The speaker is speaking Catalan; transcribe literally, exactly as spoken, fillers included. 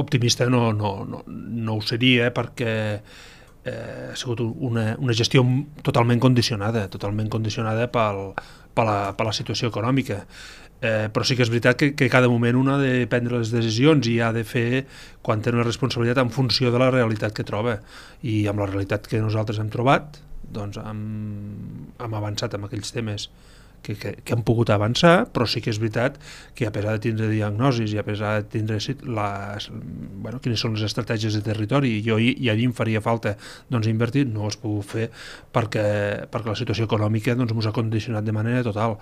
optimista no, no, no, no ho seria, perquè eh, ha sigut una, una gestió totalment condicionada, totalment condicionada pel, per, la, per la situació econòmica. Eh, però sí que és veritat que, que cada moment un ha de prendre les decisions i ha de fer quan té una responsabilitat en funció de la realitat que troba, i amb la realitat que nosaltres hem trobat doncs hem, hem avançat en aquells temes que, que, que han pogut avançar, però sí que és veritat que a pesar de tindre diagnosis i a pesar de tindre les, bueno, quines són les estratègies de territori, i, jo, i allí em faria falta doncs, invertir, no ho has pogut fer perquè, perquè la situació econòmica doncs, ens ha condicionat de manera total.